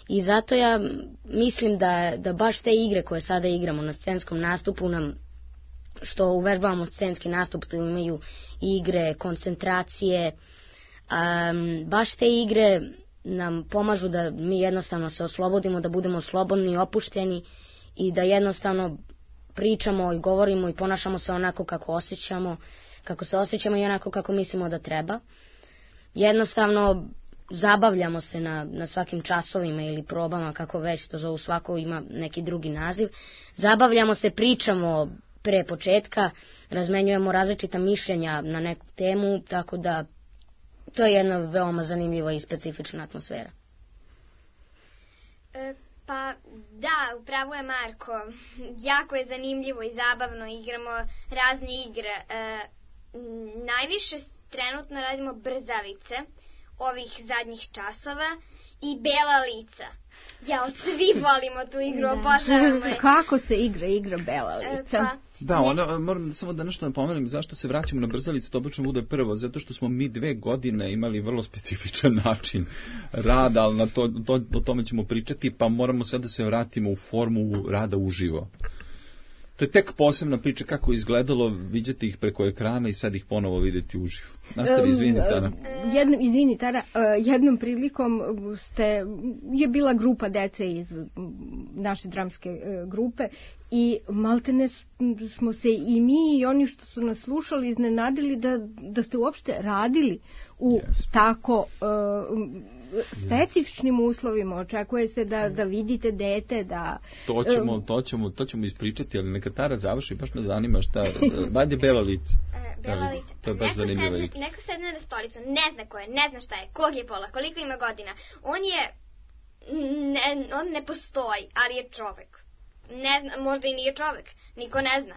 i zato ja mislim da baš te igre koje sada igramo na scenskom nastupu nam, što uvežbavamo scenski nastup, to imaju igre, koncentracije, baš te igre nam pomažu da mi jednostavno se oslobodimo, da budemo slobodni i opušteni i da jednostavno pričamo i govorimo i ponašamo se onako kako se osjećamo i onako kako mislimo da treba. Jednostavno zabavljamo se na svakim časovima ili probama, kako već to zovu, svako ima neki drugi naziv. Zabavljamo se, pričamo pre početka, razmenjujemo različita mišljenja na neku temu, tako da to je jedna veoma zanimljiva i specifična atmosfera. Pa da, upravo je Marko. Jako je zanimljivo i zabavno, igramo razne igre. Najviše trenutno radimo brzavice ovih zadnjih časova i bela lica. Ja, svi volimo tu igru, obožavamo je. Kako se igra bela lica? Moram samo da nešto napomenem zašto se vraćamo na brzalice, to obično bude prvo, zato što smo mi 2 godine imali vrlo specifičan način rada, ali o tome ćemo pričati, pa moramo sad da se vratimo u formu rada uživo. To je tek posebna priča kako je izgledalo vidjeti ih preko ekrana i sad ih ponovo vidjeti uživo. Nastavi, izvini, Tara. Izvini, Tara, jednom prilikom je bila grupa dece iz naše dramske grupe i maltene smo se i mi i oni što su nas slušali iznenadili da ste uopšte radili u tako specifičnim uslovima. Očekuje se da vidite dete, da... To ćemo ispričati, ali neka Tara završi, baš me zanima šta... Vajde bela lica. Bela lica. To je baš zanimljiva igra. Neko sedne na stolicu, ne zna ko je, ne zna šta je, kog je pola, koliko ima godina. On ne postoji, ali je čovek. Ne zna, možda i nije čovek, niko ne zna.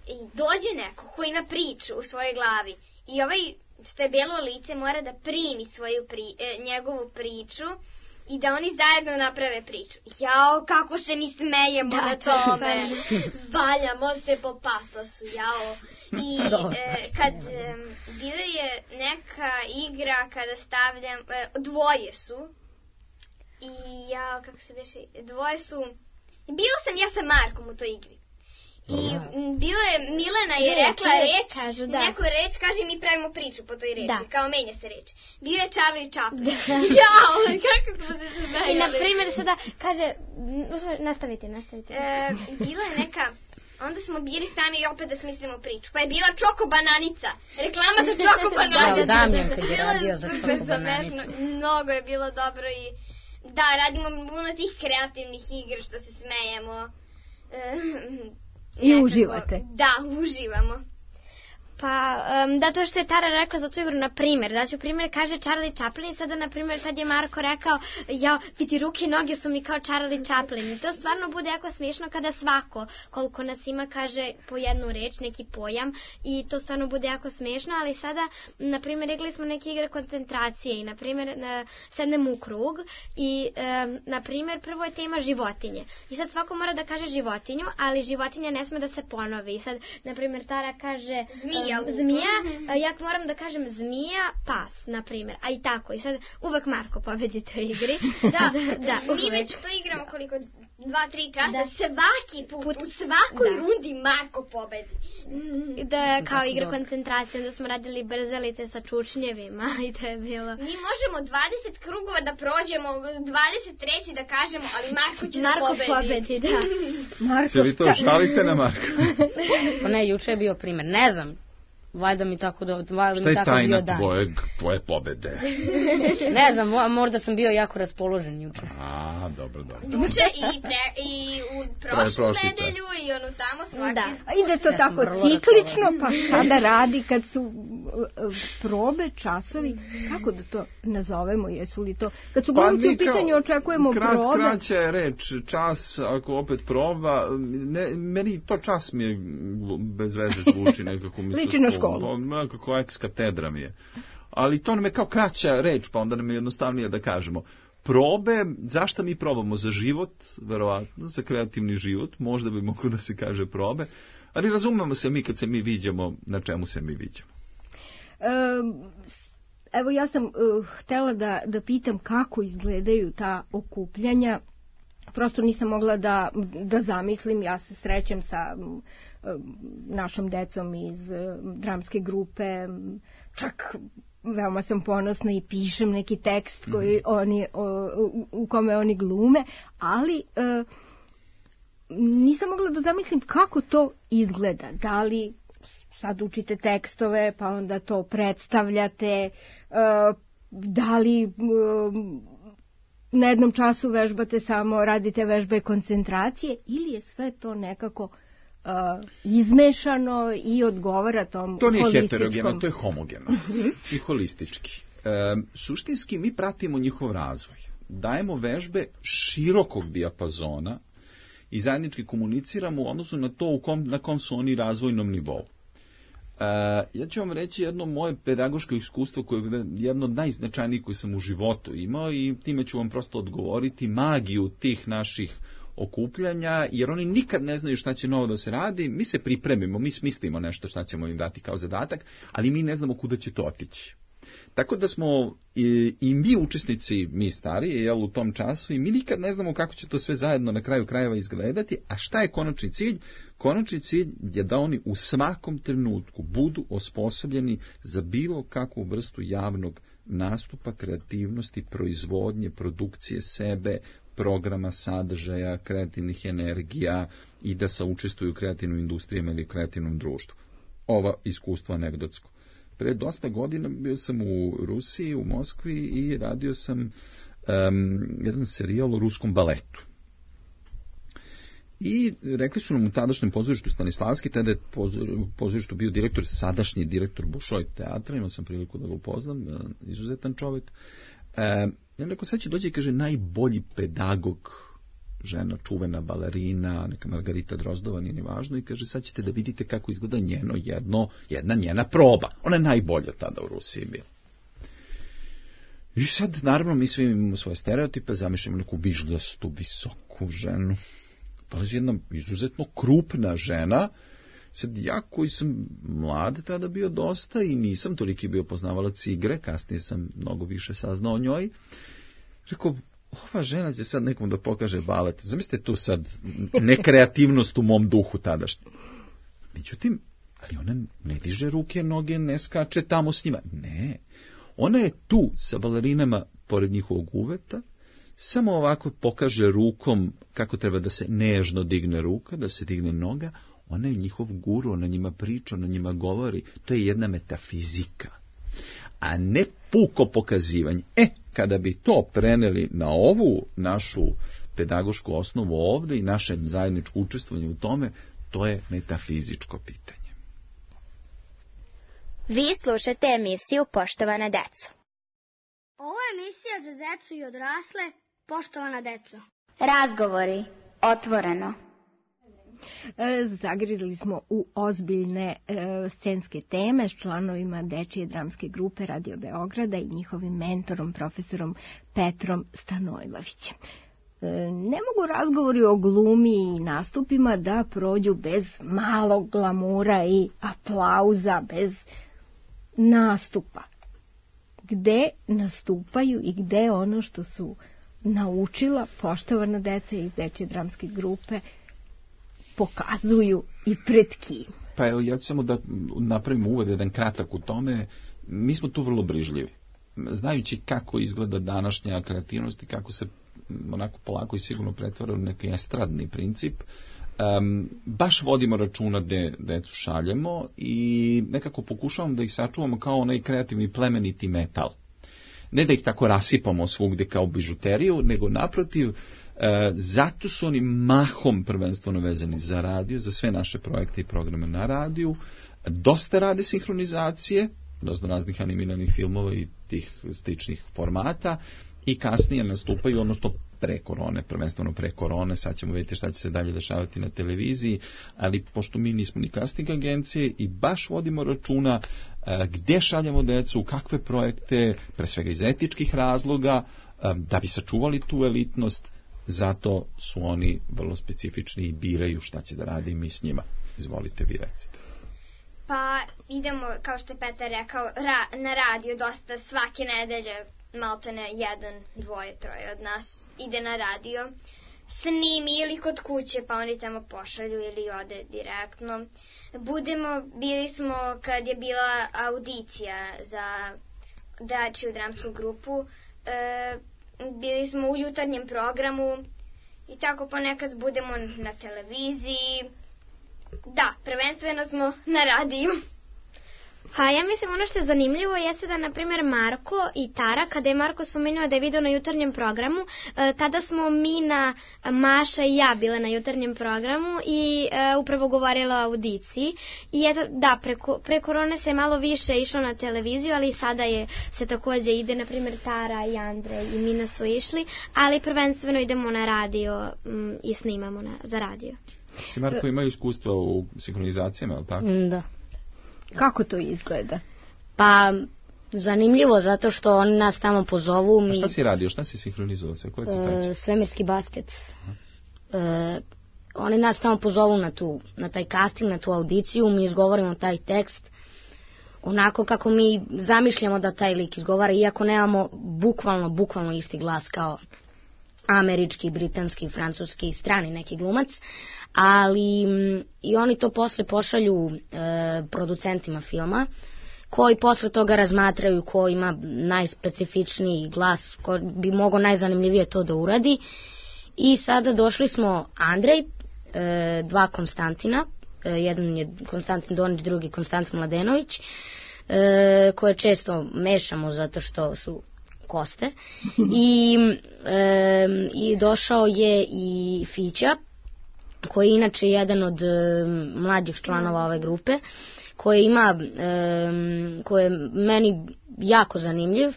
I dođe neko ko ima priču u svojoj glavi i što je belo lice mora da primi njegovu priču i da oni zajedno naprave priču. Jao, kako se mi smejemo na tome. Valjamo se po patosu, jao. I kad bila je neka igra kada stavljam, dvoje su i jao, kako se beše, dvoje su, bila sam ja sa Markom u toj igri. I bilo je, Milena je rekla reč, neku reč, kaže mi pravimo priču po toj reči, kao menja se reč. Bio je Čavli i Čapli. Jao, kako smo se smejali. I na primjer sada kaže, nastavite. I bila je neka Onda smo bili sami i opet da smislimo priču. Pa je bila Čoko Bananica. Reklama za Čoko Bananica. Damjan kad je radio za Čoko Bananicu. Mnogo je bilo dobro i da, radimo puno tih kreativnih igra što se smejemo. I uživate. Da, uživamo. Pa, da, to što je Tara rekla za tu igru, na primjer, daću primjer, kaže Charlie Chaplin i sada, na primjer, sad je Marko rekao, vidi, ruke i noge su mi kao Charlie Chaplin i to stvarno bude jako smiješno kada svako, koliko nas ima, kaže po jednu reč, neki pojam i to stvarno bude jako smiješno, ali sada, na primjer, igrali smo neke igre koncentracije i, na primjer, sednemo u krug i, na primjer, prvo je tema životinje i sad svako mora da kaže životinju, ali životinja ne sme da se ponovi i sad, na primjer, Tara kaže zmija, ja moram da kažem zmija, pas, na primjer, a i tako. I sad uvek Marko pobedi toj igri. Da, mi već to igramo koliko 2-3 časa, svaki put, u svakoj rundi Marko pobedi. Da, kao igra koncentracije, onda smo radili brzalice sa čučnjevima i to je bilo. Mi možemo 20 krugova da prođemo, 20 reći da kažemo, ali Marko će Marko da pobedi, da. Se vi to šalite na Marko? Pa ne, juče je bio primjer, ne znam. Valjda mi tako da... Šta je tajna tvoje pobede? Ne znam, možda sam bio jako raspoložen juče. A, dobro. Juče i u prošlu nedelju i onu tamo svaki. Da, ide to tako ciklično, pa šta da radi kad su probe, časovi, kako da to nazovemo, jesu li to... Kad su glumci u pitanju očekujemo probe... Kraća je reč, čas, ako opet proba, meni to čas mi je bez veze zvuči nekako mi liči na školu. Nekako ex-katedra mi je. Ali to nam je kao kraća reč, pa onda nam je jednostavnije da kažemo. Probe, zašto mi probamo? Za život, verovatno, za kreativni život, možda bi moglo da se kaže probe, ali razumemo se mi kad se mi viđamo, na čemu se mi viđamo. Evo ja sam htjela da pitam kako izgledaju ta okupljanja. Prosto nisam mogla da zamislim, ja se srećem sa našom decom iz dramske grupe, čak veoma sam ponosna i pišem neki tekst koji u kome oni glume, ali nisam mogla da zamislim kako to izgleda, da li sad učite tekstove pa onda to predstavljate, da li na jednom času vežbate samo, radite vežbe koncentracije ili je sve to nekako izmešano i odgovara tom holističkom... To nije heterogeno, to je homogeno i holistički. Suštinski mi pratimo njihov razvoj. Dajemo vežbe širokog dijapazona i zajednički komuniciramo u odnosu na to na kom su oni razvojnom nivou. Ja ću vam reći jedno moje pedagoško iskustvo koje je jedno od najznačajnijih koje sam u životu imao i time ću vam prosto odgovoriti magiju tih naših okupljanja, jer oni nikad ne znaju šta će novo da se radi, mi se pripremimo, mi smislimo nešto šta ćemo im dati kao zadatak, ali mi ne znamo kuda će to otići. Tako da smo i mi učesnici, mi stariji, u tom času, i mi nikad ne znamo kako će to sve zajedno na kraju krajeva izgledati, a šta je konačni cilj? Konačni cilj je da oni u svakom trenutku budu osposobljeni za bilo kakvu vrstu javnog nastupa, kreativnosti, proizvodnje, produkcije sebe, programa, sadržaja, kreativnih energija i da saučestvuju u kreativnim industrijama ili kreativnom društvu. Ova iskustva anegdotsko. Pre dosta godina bio sam u Rusiji, u Moskvi i radio sam jedan serijal o ruskom baletu. I rekli su nam u tadašnjem pozorištu Stanislavski, tada je pozorištu bio sadašnji direktor Bolšoj teatra, imao sam priliku da ga upoznam, izuzetan čovjek. Ja rekao, sad će dođe i kaže, najbolji pedagog, žena, čuvena balerina, neka Margarita Drozdova, nije ni važno, i kaže, sad ćete da vidite kako izgleda jedna njena proba. Ona je najbolja tada u Rusiji bila. I sad, naravno, mi svi imamo svoje stereotipe, zamišljamo neku vižljastu, visoku ženu. Dolazi jedna izuzetno krupna žena. Sad, ja koji sam mlad tada bio dosta i nisam toliki bio poznavalac igre, kasnije sam mnogo više saznao o njoj, rekao, ova žena će sad nekom da pokaže balet. Zamislite tu sad nekreativnost u mom duhu tadašnji. Međutim, ali ona ne diže ruke, noge, ne skače tamo s njima. Ne, ona je tu sa balerinama pored njihovog uveta, samo ovako pokaže rukom kako treba da se nežno digne ruka, da se digne noga, Ona je njihov guru, ona njima priča, ona njima govori. To je jedna metafizika, a ne puko pokazivanje. Kada bi to preneli na ovu našu pedagošku osnovu ovde i naše zajedničko učestvovanje u tome, to je metafizičko pitanje. Vi slušate emisiju Poštovana deco. Ovo je emisija za decu i odrasle, poštovana deco. Razgovori, otvoreno. Zagrizli smo u ozbiljne scenske teme s članovima Dečije dramske grupe Radio Beograda i njihovim mentorom, profesorom Petrom Stanojlovićem. Ne mogu razgovori o glumi i nastupima da prođu bez malog glamura i aplauza, bez nastupa. Gde nastupaju i gde ono što su naučila poštovana deca iz Dečije dramske grupe pokazuju i pred kim? Pa evo, ja ću samo da napravim uvod, jedan kratak u tome. Mi smo tu vrlo brižljivi. Znajući kako izgleda današnja kreativnost i kako se onako polako i sigurno pretvara u neki estradni princip, baš vodimo računa gde decu šaljemo i nekako pokušavamo da ih sačuvamo kao onaj kreativni plemeniti metal. Ne da ih tako rasipamo svugde kao bižuteriju, nego naprotiv, zato su oni mahom prvenstveno vezani za radio, za sve naše projekte i programe na radiju. Dosta rade sinhronizacije, dosta raznih animiranih filmova i tih sličnih formata, i kasnije nastupaju, odnosno pre korone, prvenstveno pre korone, sad ćemo vidjeti šta će se dalje dešavati na televiziji, ali pošto mi nismo ni casting agencije i baš vodimo računa gde šaljemo decu, u kakve projekte, pre svega iz etičkih razloga, da bi sačuvali tu elitnost, zato su oni vrlo specifični i biraju šta će da radi i mi s njima. Izvolite, vi recite. Pa idemo, kao što je Petar rekao, na radio dosta svake nedelje, maltene 1, 2, 3 od nas ide na radio, snimi ili kod kuće, pa oni tamo pošalju ili ode direktno. Bili smo kad je bila audicija za Dečiju dramsku grupu, bili smo u jutarnjem programu i tako ponekad budemo na televiziji. Da, prvenstveno smo na radiju. Pa ja mislim ono što je zanimljivo jeste da, na primjer, Marko i Tara, kada je Marko spomenuo da je video na jutarnjem programu, tada smo Mina, Maša i ja bile na jutarnjem programu i upravo govorila o audiciji. I eto, da, pre korone se malo više išlo na televiziju, ali sada se takođe ide, na primjer, Tara i Andrej i Mina su išli, ali prvenstveno idemo na radio i snimamo za radio. Si, Marko, imaju iskustva u sinhronizacijama, ali tako? Da. Kako to izgleda? Pa, zanimljivo, zato što oni nas tamo pozovu. A šta si radio, šta si sinhronizovao? Svemirski basket. Oni nas tamo pozovu na taj casting, na tu audiciju, mi izgovorimo taj tekst onako kako mi zamišljamo da taj lik izgovara, iako nemamo bukvalno isti glas kao američki, britanski, francuski, strani neki glumac, ali i oni to posle pošalju producentima filma, koji posle toga razmatraju ko ima najspecifičniji glas, ko bi mogao najzanimljivije to da uradi. I sada došli smo Andrej, 2 Konstantina, jedan je Konstantin Donić, drugi Konstantin Mladenović, koje često mešamo zato što su Koste, i došao je i Fića, koji je inače jedan od mlađih članova ove grupe, koji je meni jako zanimljiv,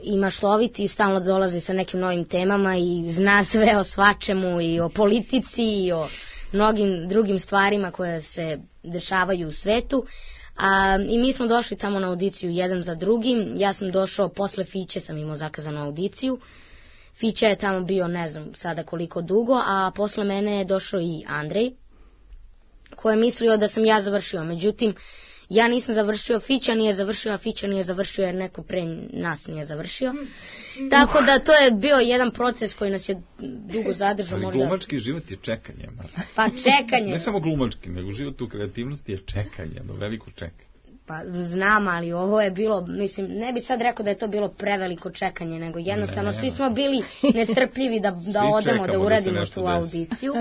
i maštovit i stalno dolazi sa nekim novim temama i zna sve o svačemu i o politici i o mnogim drugim stvarima koje se dešavaju u svetu. I mi smo došli tamo na audiciju jedan za drugim. Ja sam došao posle Fiće, sam imao zakazanu audiciju. Fića je tamo bio ne znam sada koliko dugo, a posle mene je došao i Andrej, koji je mislio da sam ja završio. Međutim, ja nisam završio, Fića nije završio, a Fića nije završio jer neko pre nas nije završio. Tako da to je bio jedan proces koji nas je dugo zadržao. Ali glumački život je čekanje. Pa čekanje. Ne samo glumački, nego život u kreativnosti je čekanje, veliko čekanje. Pa znam, ali ovo je bilo, mislim, ne bi sad rekao da je to bilo preveliko čekanje, nego jednostavno svi smo bili nestrpljivi da odemo, da uradimo tu audiciju.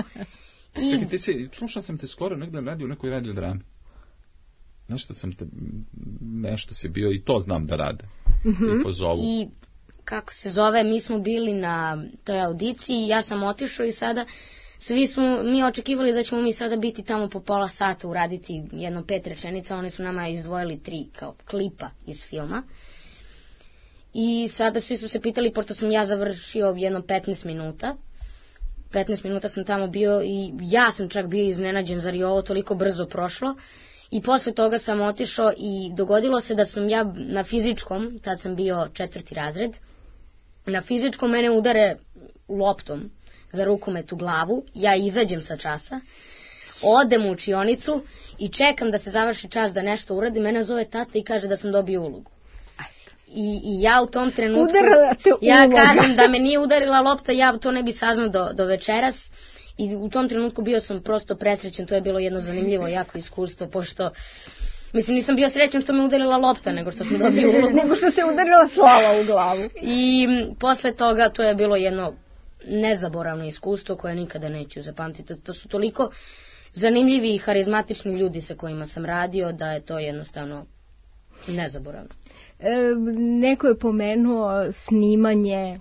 Čekaj, slušao sam te skoro negdje radio u nekoj radio drami. Nešto si bio i to znam da rade. I kako se zove, mi smo bili na toj audiciji, ja sam otišao i sada svi smo mi očekivali da ćemo mi sada biti tamo po pola sata, uraditi jedno 5 rečenica, oni su nama izdvojili 3 kao klipa iz filma. I sada svi su se pitali, pošto sam ja završio jedno 15 minuta. 15 minuta sam tamo bio i ja sam čak bio iznenađen, zar je ovo toliko brzo prošlo. I posle toga sam otišao i dogodilo se da sam ja na fizičkom, tad sam bio 4. razred, na fizičkom mene udare loptom za rukomet u glavu, ja izađem sa časa, odem u učionicu i čekam da se završi čas da nešto uradim, mene zove tata i kaže da sam dobio ulogu. I ja u tom trenutku, ja kažem da me nije udarila lopta, ja to ne bi saznao do večeras. I u tom trenutku bio sam prosto presrećen, to je bilo jedno zanimljivo jako iskustvo, pošto, mislim, nisam bio srećan što me udarila lopta, nego što sam dobio ulogu. Nego što se udarila slava u glavu. I posle toga to je bilo jedno nezaboravno iskustvo koje nikada neću zapamtiti. To su toliko zanimljivi i harizmatični ljudi sa kojima sam radio da je to jednostavno nezaboravno. Neko je pomenuo snimanje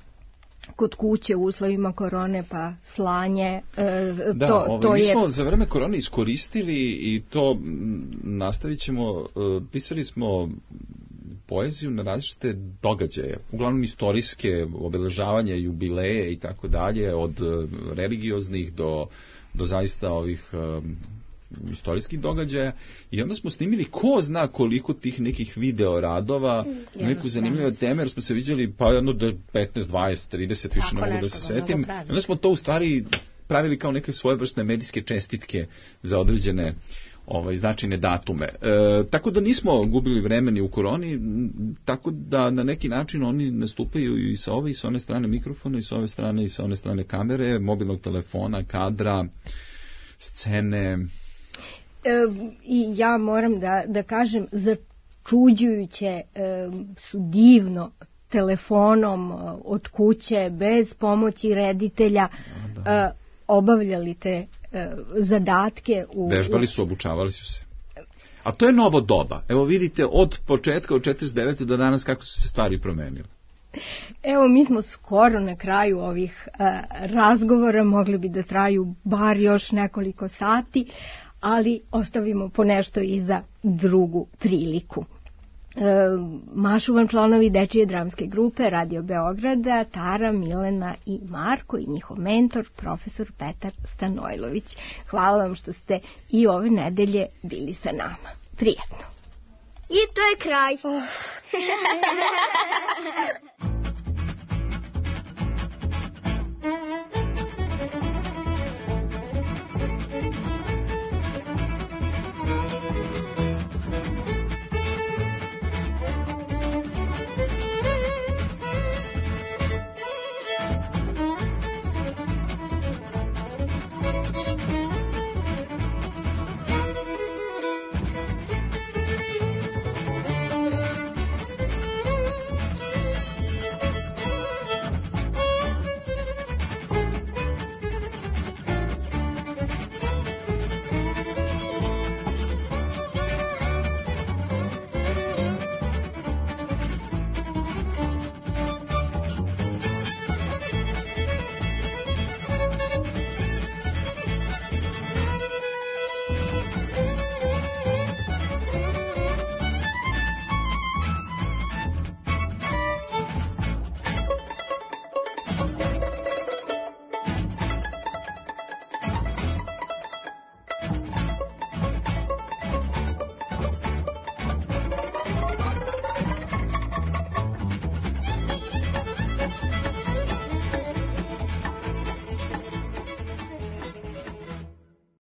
kod kuće u uslovima korone, pa slanje. Mi smo za vreme korone iskoristili i to nastavit ćemo, pisali smo poeziju na različite događaje, uglavnom istorijske, obeležavanja, jubileje i tako dalje, od religioznih do zaista ovih istorijskih događaja, i onda smo snimili ko zna koliko tih nekih video radova, neku zanimljivu teme, jer smo se viđali pa jedno 15, 20, 30, više ne mogu da se setim. Onda smo to u stvari pravili kao neke svojevrsne medijske čestitke za određene značajne datume. Tako da nismo gubili vremeni u koroni, tako da na neki način oni nastupaju i sa ove i sa one strane mikrofona, i sa ove strane i sa one strane kamere, mobilnog telefona, kadra, scene. I ja moram da kažem, začuđujuće su divno telefonom od kuće, bez pomoći reditelja, obavljali te zadatke. Vežbali su, obučavali su se. A to je novo doba. Evo vidite, od početka, od 49. do danas kako su se stvari promenile. Evo, mi smo skoro na kraju ovih razgovora, mogli bi da traju bar još nekoliko sati, ali ostavimo po nešto i za drugu priliku. Mašu vam članovi Dečije dramske grupe Radio Beograda, Tara, Milena i Marko i njihov mentor, profesor Petar Stanojlović. Hvala vam što ste i ove nedelje bili sa nama. Prijetno. I to je kraj.